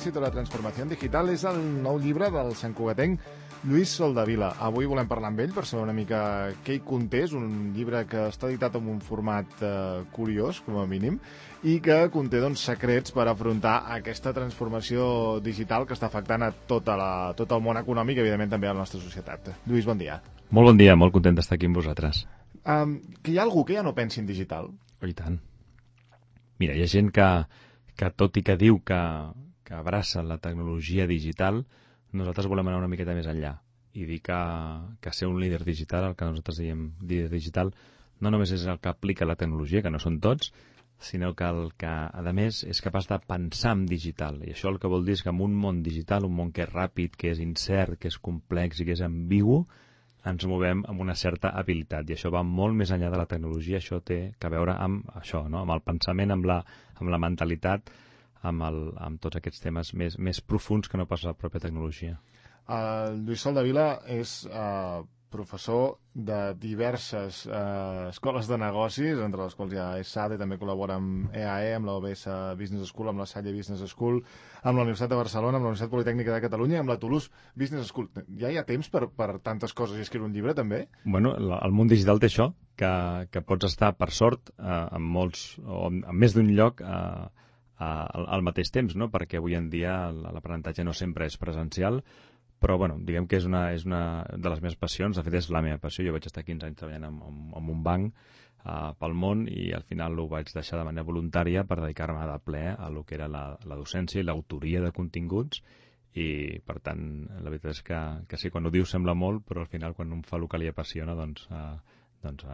éxito de la transformació digital és el nou llibre del santcugatenc Lluís Soldevila. Avui volem parlar amb ell per saber una mica què hi conté. És un llibre que està editat en un format curiós, com a mínim, i que conté secrets per afrontar aquesta transformació digital que està afectant a tot el món econòmic i, evidentment, també a la nostra societat. Lluís, bon dia. Molt bon dia, molt content d'estar aquí amb vosaltres. Que hi ha algú que ja no pensi en digital? Oh, i tant. Mira, hi ha gent que tot i que diu que abraça la tecnologia digital, nosaltres volem anar una miqueta més enllà i dir que ser un líder digital, el que nosaltres diem líder digital, no només és el que aplica la tecnologia, que no són tots, sinó que el que, a més, és capaç de pensar en digital. I això el que vol dir és que en un món digital, un món que és ràpid, que és incert, que és complex i que és ambigu, ens movem amb una certa habilitat. I això va molt més enllà de la tecnologia. Això té a veure amb això, no? Amb el pensament, amb la mentalitat, amb tots aquests temes més profuns que no pas la pròpia tecnologia. Lluís Soldevila és professor de diverses escoles de negocis, entre les quals hi ha ESADE, també col·labora amb EAE, amb l'OBS Business School, amb la Salle Business School, amb la Universitat de Barcelona, amb la Universitat Politècnica de Catalunya i amb la Toulouse Business School. Ja hi ha temps per tantes coses i escriure un llibre, també? Bueno, el món digital té això, que pots estar, per sort, en molts, o en més d'un lloc al mateix temps, no? Perquè avui en dia l'aprenentatge no sempre és presencial, però bueno, diguem que és una de les meves passions. De fet, és la meva passió. Jo vaig estar 15 anys treballant en un banc pel món i al final ho vaig deixar de manera voluntària per dedicar-me de ple a lo que era la docència i l'autoria de continguts, i per tant la veritat és que sí, quan ho dius sembla molt, però al final quan un fa el que li apassiona doncs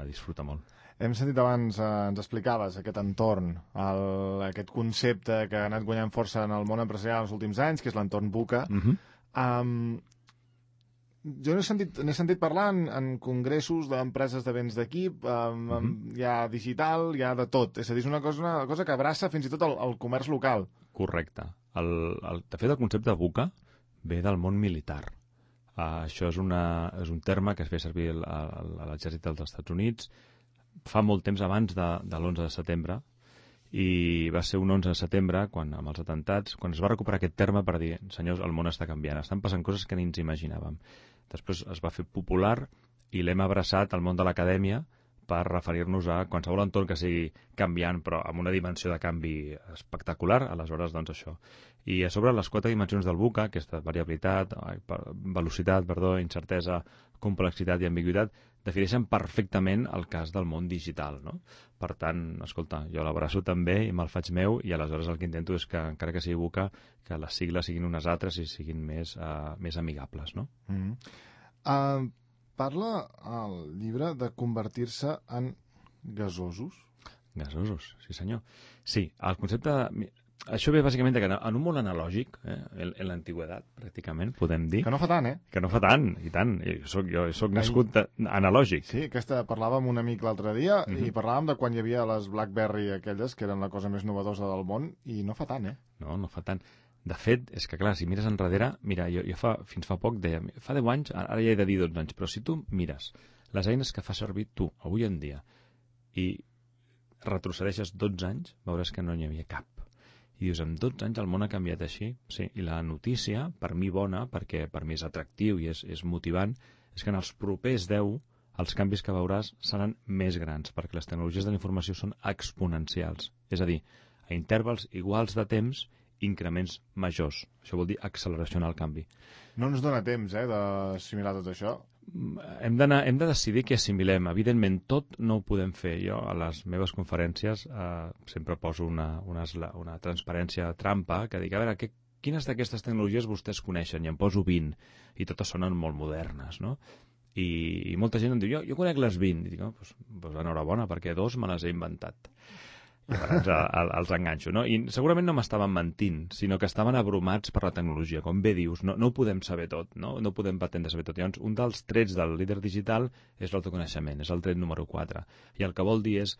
disfruta molt. Hem sentit abans, ens explicaves aquest entorn, aquest concepte que ha anat guanyant força en el món empresarial els últims anys, que és l'entorn VUCA. Jo n'he sentit parlar en congressos d'empreses de béns d'equip, hi ha digital, hi ha de tot. És a dir, és una cosa que abraça fins i tot el comerç local. Correcte. De fet, el concepte VUCA ve del món militar. Això és un terme que es feia servir a l'exèrcit dels Estats Units fa molt temps abans de l'11 de setembre, i va ser un 11 de setembre, amb els atentats, quan es va recuperar aquest terme per dir, senyors, el món està canviant, estan passant coses que ni ens imaginàvem. Després es va fer popular i l'hem abraçat al món de l'acadèmia per referir-nos a qualsevol entorn que sigui canviant, però amb una dimensió de canvi espectacular. Aleshores, doncs això. I a sobre, les 4 dimensions del VUCA, aquesta velocitat, incertesa, complexitat i ambigüitat, defineixen perfectament el cas del món digital, no? Per tant, escolta, jo l'abraço també i me'l faig meu, i aleshores el que intento és que, encara que sigui VUCA, que les sigles siguin unes altres i siguin més amigables, no? Parla al llibre de convertir-se en gasosos? Gasosos, sí senyor. Sí, el concepte... Això ve bàsicament que en un món analògic, en l'antigüedat, pràcticament, podem dir... Que no fa tant, eh? Que no fa tant, i tant. Jo soc nascut analògic. Sí, parlàvem amb un amic l'altre dia i parlàvem de quan hi havia les BlackBerry aquelles, que eren la cosa més novedosa del món, i no fa tant, eh? No fa tant. De fet, és que clar, si mires enrere... Mira, jo fins fa poc deia... Fa 10 anys, ara ja he de dir 12 anys, però si tu mires les eines que fa servir tu, avui en dia, i retrocedeixes 12 anys, veuràs que no n'hi havia cap. I dius, en 12 anys el món ha canviat així? Sí, i la notícia, per mi bona, perquè per mi és atractiu i és motivant, és que en els propers 10 els canvis que veuràs seran més grans, perquè les tecnologies de la informació són exponencials. És a dir, a intervals iguals de temps, increments majors. Això vol dir acceleració en el canvi. No ens dona temps, d'assimilar tot això? Hem de decidir què assimilem. Evidentment, tot no ho podem fer. Jo, a les meves conferències, sempre poso una transparència trampa, que dic, a veure, quines d'aquestes tecnologies vostès coneixen? I em poso 20, i totes sonen molt modernes, no? I molta gent em diu, jo conec les 20. I dic, doncs enhorabona, perquè 2 me les he inventat. I llavors els enganxo, no? I segurament no m'estaven mentint, sinó que estaven abrumats per la tecnologia. Com bé dius, no ho podem saber tot, no podem pretendre saber tot. Llavors, un dels trets del líder digital és l'autoconeixement, és el tret número 4. I el que vol dir és,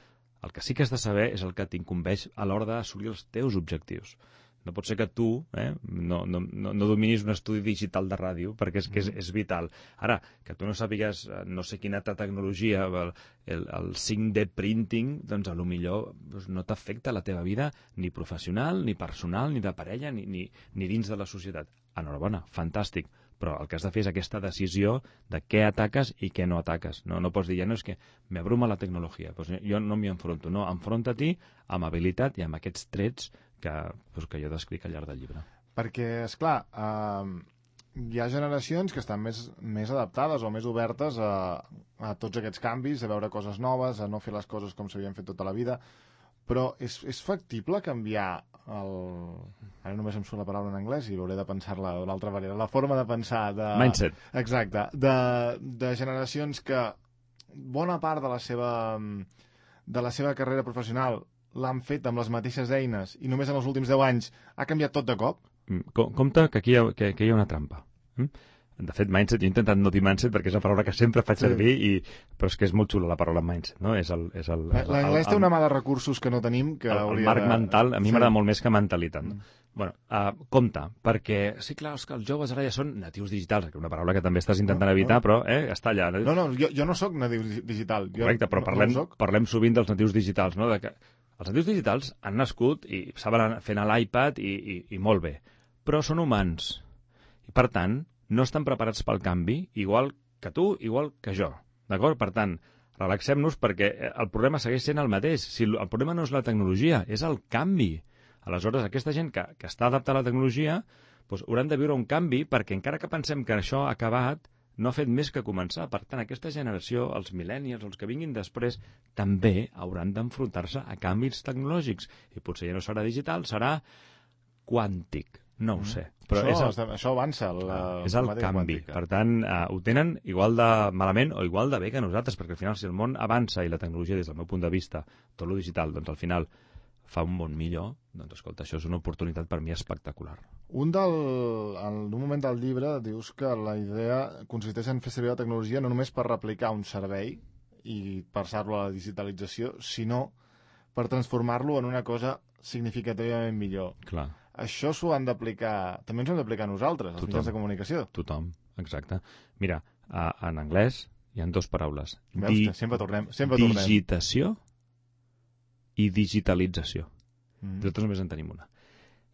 el que sí que has de saber és el que t'incumbeix a l'hora d'assolir els teus objectius. No pot ser que tu no dominis un estudi digital de ràdio, perquè és vital. Ara, que tu no sàpigues no sé quina altra tecnologia, el 5D printing, doncs a lo millor no t'afecta la teva vida ni professional, ni personal, ni de parella, ni dins de la societat. Enhorabona, fantàstic. Però el que has de fer és aquesta decisió de què ataques i què no ataques. No pots dir, ja no és que m'abruma la tecnologia. Pues jo no m'hi enfronto. No, enfronta-t'hi amb habilitat i amb aquests trets que jo descric al llarg del llibre. Perquè, esclar, hi ha generacions que estan més adaptades o més obertes a tots aquests canvis, a veure coses noves, a no fer les coses com s'havien fet tota la vida, però és factible canviar ara només em surt la paraula en anglès i hauré de pensar-la d'una altra manera, la forma de pensar mindset. Exacte, de generacions que bona part de la seva carrera professional l'han fet amb les mateixes eines i només en els últims 10 anys ha canviat tot de cop. Compte que aquí hi ha una trampa. De fet, mindset, jo he intentat no dir mindset perquè és una paraula que sempre faig servir, però és que és molt xula la paraula mindset, no? L'anglès té una mà de recursos que no tenim, que el marc mental, a mi m'agrada molt més que mentalitat. Bueno, compte, perquè sí, clar, és que els joves ara ja són natius digitals, que és una paraula que també estàs intentant evitar, però està allà. No, jo no sóc natiu digital. Correcte, però parlem sovint dels natius digitals, no? Els natius digitals han nascut i saben fer l'iPad i molt bé, però són humans. I, per tant, no estan preparats pel canvi, igual que tu, igual que jo. D'acord? Per tant, relaxem-nos perquè el problema segueix sent el mateix. Si el problema no és la tecnologia, és el canvi. Aleshores, aquesta gent que està adaptada a la tecnologia doncs, hauran de viure un canvi perquè encara que pensem que això ha acabat, no ha fet més que començar. Per tant, aquesta generació, els millennials, els que vinguin després, també hauran d'enfrontar-se a canvis tecnològics. I potser ja no serà digital, serà quàntic. No ho sé. Però això avança. És el canvi. Quàntica. Per tant, ho tenen igual de malament o igual de bé que nosaltres, perquè al final, si el món avança i la tecnologia, des del meu punt de vista, tot lo digital, doncs al final fa un món millor, doncs escolta, això és una oportunitat per mi espectacular. En un moment del llibre dius que la idea consisteix en fer servir la tecnologia no només per replicar un servei i passar-lo a la digitalització, sinó per transformar-lo en una cosa significativament millor. Clar. Això s'ho han d'aplicar, també ens ho hem d'aplicar nosaltres, els mitjans de comunicació. Tothom, exacte. Mira, en anglès hi ha dues paraules. Veus, sempre tornem. Digitació i digitalització. Nosaltres només en tenim una.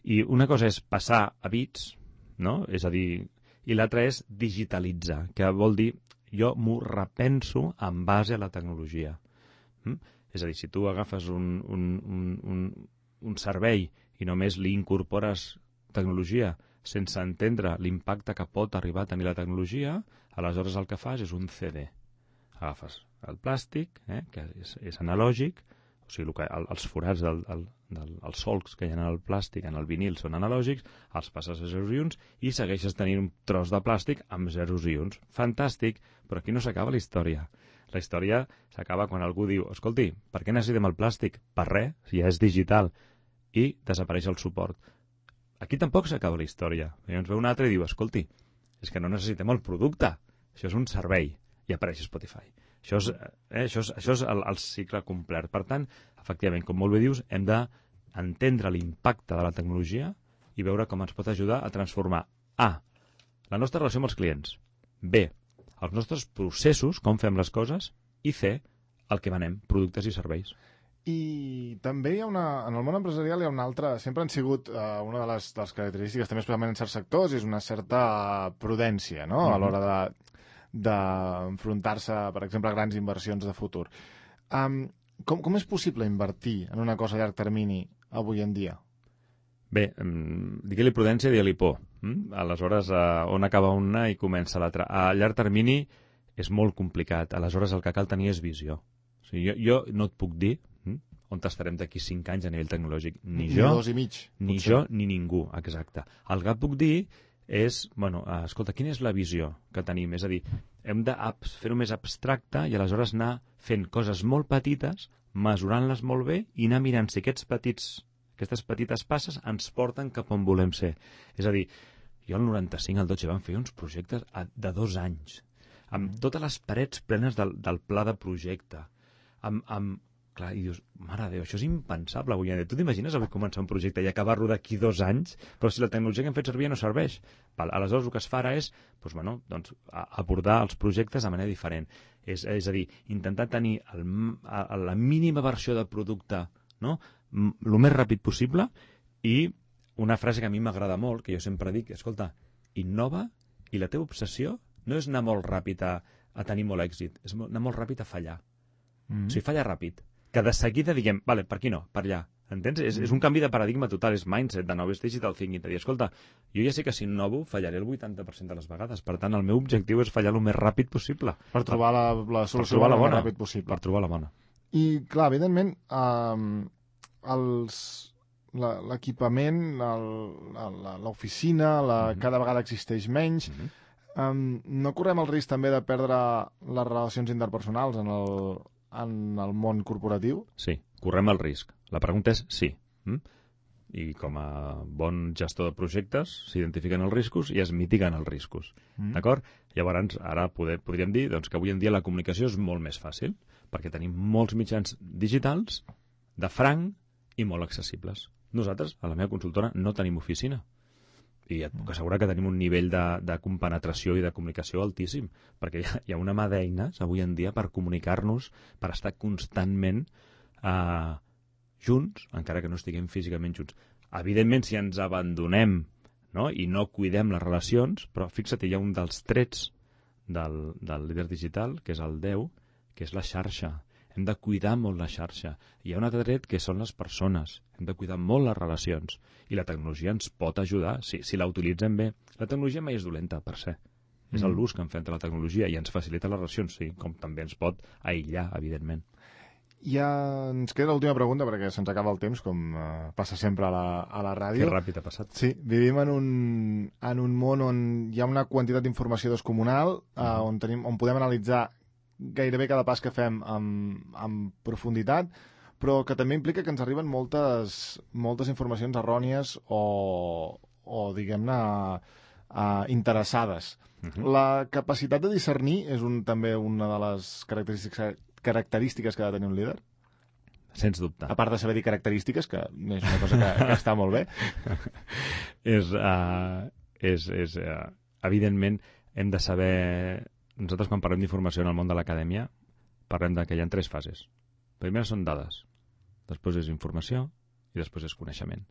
I una cosa és passar a bits, no? És a dir, i l'altra és digitalitzar, que vol dir jo m'ho repenso en base a la tecnologia. És a dir, si tu agafes un servei i només li incorpores tecnologia sense entendre l'impacte que pot arribar a tenir la tecnologia, aleshores el que fas és un CD. Agafes el plàstic, que és analògic, o sigui, els forats els solcs que hi ha en el plàstic, en el vinil, són analògics, els passes a zeros i uns i segueixes tenint un tros de plàstic amb zeros i uns. Fantàstic, però aquí no s'acaba la història. La història s'acaba quan algú diu, escolti, per què necessitem el plàstic? Per res, si ja és digital. I desapareix el suport. Aquí tampoc s'acaba la història. Llavors ve un altre i diu, escolti, és que no necessitem el producte, això és un servei, i apareix Spotify. Això és el cicle complet. Per tant, efectivament, com molt bé dius, hem d'entendre l'impacte de la tecnologia i veure com ens pot ajudar a transformar A, la nostra relació amb els clients, B, els nostres processos, com fem les coses, i C, el que venem, productes i serveis. I també hi ha en el món empresarial hi ha una altra, sempre han sigut una de les característiques, també especialment en certs sectors, és una certa prudència, no?, a l'hora d'enfrontar-se, per exemple, a grans inversions de futur. Com és possible invertir en una cosa a llarg termini avui en dia? Bé, digue-li prudència i digue-li por. Aleshores, on acaba una i comença l'altra. A llarg termini és molt complicat. Aleshores, el que cal tenir és visió. O sigui, jo no et puc dir on estarem d'aquí 5 anys a nivell tecnològic. Ni jo, 2 i mig, ni jo, ni ningú, exacte. El que puc dir és, escolta, quina és la visió que tenim? És a dir, hem de fer-ho més abstracte i aleshores anar fent coses molt petites, mesurant-les molt bé i anar mirant si aquestes petites passes ens porten cap on volem ser. És a dir, jo al 95, al 12, vam fer uns projectes de 2 anys, amb totes les parets plenes del pla de projecte, amb Clar, i dius, mare de Déu, això és impensable avui en dia. Tu t'imagines avui començar un projecte i acabar-lo d'aquí 2 anys, però si la tecnologia que hem fet servir no serveix? Aleshores el que es fa ara és abordar els projectes de manera diferent. És a dir, intentar tenir la mínima versió del producte, no? El més ràpid possible, i una frase que a mi m'agrada molt, que jo sempre dic, escolta, innova i la teva obsessió no és anar molt ràpid a tenir molt èxit, és anar molt ràpid a fallar. O sigui, falla ràpid. Que de seguida diguem, vale, per aquí no, per allà. Entens? És un canvi de paradigma total, és mindset, de nou, és digital thinking, de dir, escolta, jo ja sé que si innovo fallaré el 80% de les vegades, per tant, el meu objectiu és fallar el més ràpid possible. Per trobar la solució el més ràpid possible. Per trobar la bona. I, clar, evidentment, l'equipament, l'oficina, cada vegada existeix menys. No correm el risc també de perdre les relacions interpersonals en el món corporatiu? Sí, correm el risc. La pregunta és sí. I com a bon gestor de projectes s'identifiquen els riscos i es mitiguen els riscos. D'acord? Llavors, ara podríem dir que avui en dia la comunicació és molt més fàcil, perquè tenim molts mitjans digitals de franc i molt accessibles. Nosaltres, a la meva consultora, no tenim oficina. I et puc assegurar que tenim un nivell de compenetració i de comunicació altíssim, perquè hi ha una mà d'eines avui en dia per comunicar-nos, per estar constantment junts, encara que no estiguem físicament junts. Evidentment, si ens abandonem, no? I no cuidem les relacions, però fixa't, hi ha un dels trets del líder digital, que és el 10, que és la xarxa. Hem de cuidar molt la xarxa. Hi ha un altre tret que són les persones. Hem de cuidar molt les relacions. I la tecnologia ens pot ajudar, si la utilitzem bé. La tecnologia mai és dolenta, per ser. És l'ús que en fem de la tecnologia i ens facilita les relacions, sí, com també ens pot aïllar, evidentment. Ja ens queda l'última pregunta, perquè se'ns acaba el temps, com passa sempre a la ràdio. Que ràpid ha passat. Sí, vivim en un món on hi ha una quantitat d'informació descomunal, on podem analitzar gairebé cada pas que fem amb profunditat, però que també implica que ens arriben moltes informacions errònies o diguem-ne, interessades. La capacitat de discernir és també una de les característiques que ha de tenir un líder? Sens dubte. A part de saber dir característiques, que és una cosa que està molt bé. Evidentment, hem de saber... Nosaltres, quan parlem d'informació en el món de l'acadèmia, parlem que hi ha 3 fases. Primer són dades, després és informació i després és coneixement.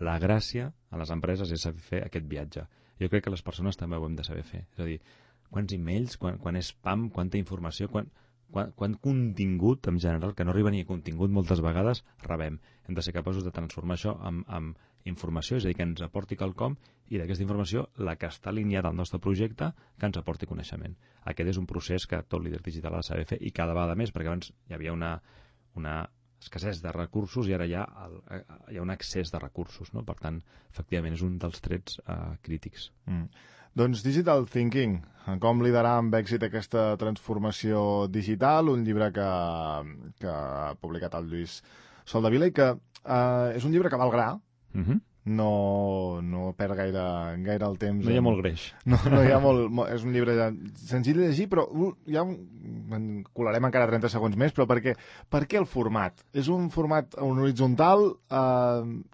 La gràcia a les empreses és saber fer aquest viatge. Jo crec que les persones també ho hem de saber fer. És a dir, quants e-mails, quan és spam, quanta informació, quant contingut en general, que no arriba ni a contingut moltes vegades, rebem. Hem de ser capaços de transformar això en informació, és a dir, que ens aporti quelcom, i d'aquesta informació, la que està alineada al nostre projecte, que ens aporti coneixement. Aquest és un procés que tot líder digital ha de saber fer, i cada vegada més, perquè abans hi havia una escassez de recursos i ara hi ha un excés de recursos, no? Per tant, efectivament, és un dels trets crítics. Doncs Digital Thinking, com liderar amb èxit aquesta transformació digital, un llibre que ha publicat el Lluís Soldevila i que és un llibre que val gra, no perd gaire el temps. No hi ha molt greix. No hi ha és un llibre senzill de llegir, però en colarem encara 30 segons més, però per què el format? És un format horitzontal?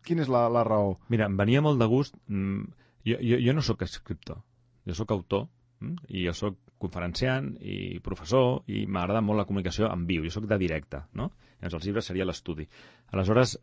Quina és la raó? Mira, em venia molt de gust... Jo no sóc escriptor, jo sóc autor, i jo sóc conferenciant i professor, i m'agrada molt la comunicació en viu, jo sóc de directe, no? Llavors els llibres seria l'estudi. Aleshores,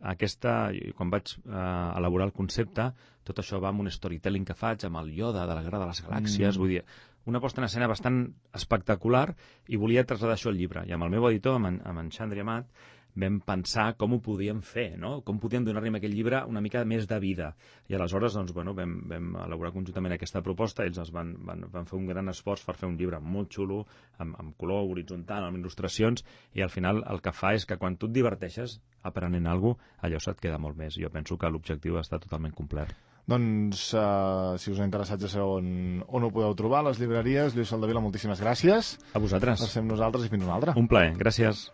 quan vaig elaborar el concepte, tot això va amb un storytelling que faig, amb el Yoda de la Guerra de les Galàxies, vull dir, una posta en escena bastant espectacular, i volia traslladar això al llibre. I amb el meu editor, amb en Xandri Amat, vam pensar com ho podíem fer, no? Com podíem donar-li a aquell llibre una mica més de vida. I aleshores, vam elaborar conjuntament aquesta proposta. Ells van fer un gran esforç per fer un llibre molt xulo, amb color horitzontal, amb il·lustracions, i al final el que fa és que quan tu et diverteixes aprenent alguna cosa, allò se't queda molt més. Jo penso que l'objectiu està totalment complert. Doncs, si us ha interessat ja sabeu on ho podeu trobar, a les llibreries. Lluís Soldevila, moltíssimes gràcies. A vosaltres. Per ser amb nosaltres i fins una altra. Un plaer, gràcies.